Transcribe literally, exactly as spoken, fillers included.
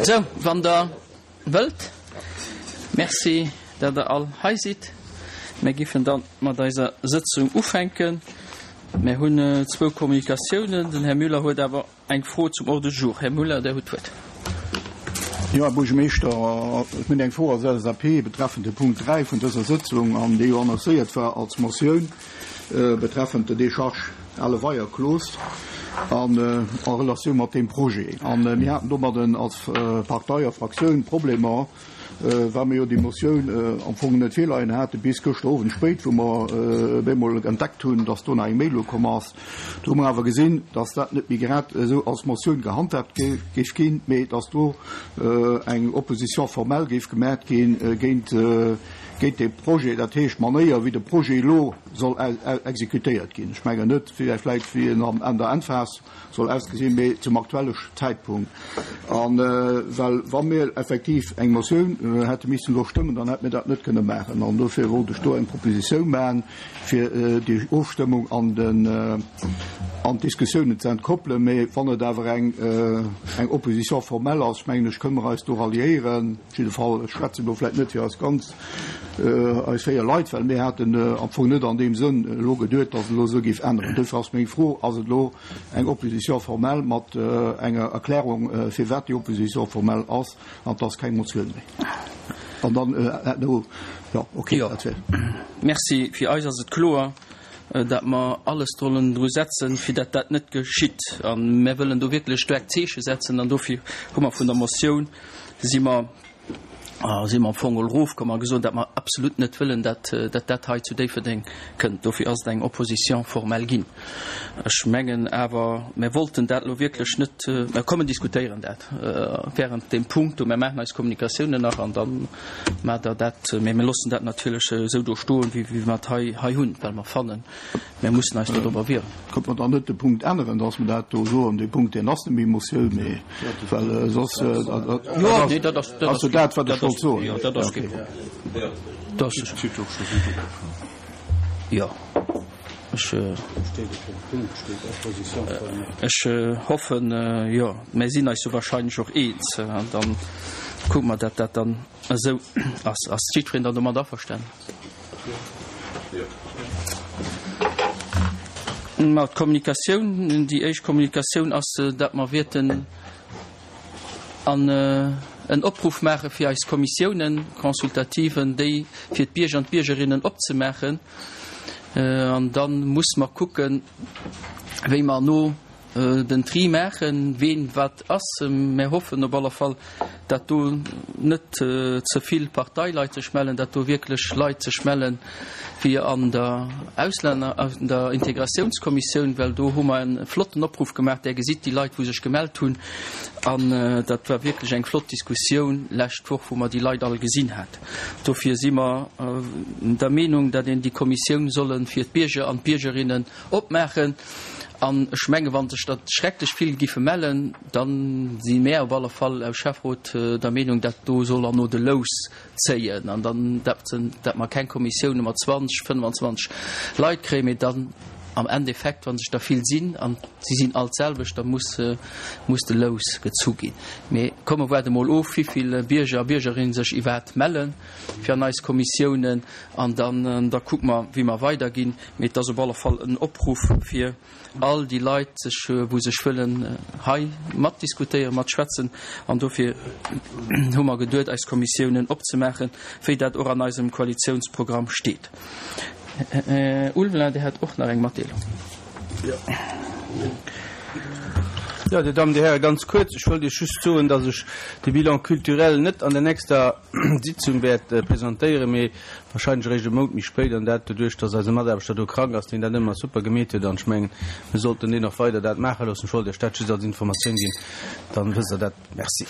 Sou, wann Der wëllt. Merci, dat Der all hei sidd. Mir giffen dann mat eiser Sëtzung ufänken. Mir hunn zwou Kommunikatiounen. Den Här Müller huet awer eng Fro zum Ordre du jour. Här Müller, Der hutt d'Wuert. Jo, Här Buergermeeschter, ech hunn eng Fro als LSAP betreffend de Punkt dräi vun dëser Sëtzung, an déi jo annoncéiert war als Motioun betreffend de Décharge Ale Weier Cloos an en Relatioun mat deem Projet. A mir haten domadden als Partei a Fraktioun Problemer, well mir jo déi Motioun am Fong net virleien hate bis gëschter Owend spéit, wou mer op eemol entdeckt hunn, dass do nach eng Mail ukomm ass. Do hu mer awer gesinn, dass dat net méi grad esou als Motioun gehandhaabt géif ginn, mee dass do eng Opposition formelle géif gemat ginn géint géint dee Projet, dat heescht d'Manéier, wéi de Projet elo soll exekutéiert ginn. Ech mengen net vläicht, wéi en an der Endphas soll ausgesinn, mee zum aktuelle Zäitpunkt. A well wa mir effektiv eng Motioun hätte missen elo stëmmen, dann hätte mir dat net kënne maachen. An dofir wollt ech do eng Propositioun maachen, fir déi Ofstëmmung an den an d'Diskussiounen ze entkoppelen. Mee wann et awer eng eng Opposition formelle ass, mengen ech, kënne mer eis do ralliéieren. Op jidde Fall, ech schwätzen elo vläicht net fir eis ganz, eis véier Leit, well mir haten am Fong net an deem Sënn elo geduet, datt et elo esou géif änneren. Dofir ass meng Fro, Ass et elo eng Opposition formelle mat enger Erklärung, firwat déi Opposition formelle ass, an et ass keng Motioun méi? An dann, jo, okay, dat wär. Merci. Fir eis ass et kloer, datt mer alles sollen dru setzen, fir datt dat net geschitt. A mir wëllen do wierklech staark Zeeche setzen an dofir hu mer vun der Motioun si mer, si mer am Fong erofkomm a gesot, datt mer absolut net wëllen, datt dat hei zu Déifferdeng kënnt. Dofir ass et eng Opposition formelle ginn. Ech mengen awer, mir wollten dat elo wierklech net, mer kommen diskutéieren dat während deem Punkt do, mer maachen eis Kommunikatiounen nach an da maacht Der dat, mä mir loossen dat natierlech esou do stoen, wéi mer et hei hei hunn, well mer fannen, mir mussen eis dodrobber wieren. Kënnt mer dann net de Punkt änneren, datt mer dat do soen, dee Punkt, deen ass net méi Motioun, mee well soss, dat ass jo dat, wat ech wollt soen. Jo, dat ass kee Problem. Dat ass, jo, ech, ech hoffen, jo, mir sinn eis jo wahrscheinlech och eens an dann kucke mer, datt dat dann esou ass. Ass jiddwereen dann domat averstanen? Ma d'Kommunikatioun, déi éischt Kommunikatioun ass, datt mer wäerten an en Opruff maache fir eis Kommissiounen consultativen, déi fir d'Bierger an d'Biergerinnen opzemaachen. An da muss mer kucken, wéi mer no den Tri maachen, ween wat ass. Mär hoffen op alle Fall, datt do net ze vill Parteileit sech mellen, datt do wierklech Leit sech mellen, wéi an der Auslänner, an der Integratiounskommissioun, well do hu mer e flotten Opruff gemaach. Där gesitt déi Leit, wou sech gemellt hunn. An dat war wierklech eng flott Diskussioun lescht Woch, wou mer déi Leit all gesinn hat. Dofir si mer der Meenung, datt een déi Kommissioun solle fir d'Bierger an d'Biergerinnen opmaachen. An ech menge wa sech der schrecklech vill giffe mellen, da si mär op alle Fall aus Schäfferot der Meenung, datt do soll erno de Lous zéien an dann datt mer keng Kommissioune mat zwanzeg, fënnwanzwanzeg Leit kréien, mee dann am Endeffekt, wa sech der vill sinn an si sinn all d'selwecht, da muss muss de Lous gezu ginn. Mee komm mer waarde mol of, wéivill Bierger a Biergerinne sech iwwerhaapt melle fir an eis Kommissiounen an dann da kucke mer, wéi mer weiderginn. Mee et ass op alle Fall en Opruff fir all déi Leit sech, wou sech wëllen hei matdiskutéieren, matschwätzen. An dofir hu mer geduet, eis Kommissiounen opzemaachen, wéi dat och an eisem Koalitiounsprogramm steet. Här Ulveling, Dir hat och nach eng Matdeelung. Jo, Dir Dammen, Dir Hären, ganz kuerz, ech wollt Iech just soen, dass ech de Bilan culturel net an der nächster Sitzung wäert presentéieren, mee wahrscheinlech eréischt e Mount méi spéit, an dat doduerch, dass eise Mataarbechter do krank ass, deen dat ëmmer super gemeet huet, an ech mengen, mir sollten deen och weider dat maache loossen. Ech wollt Iech dat just als Informatioun ginn, dann wësst Der dat. Merci.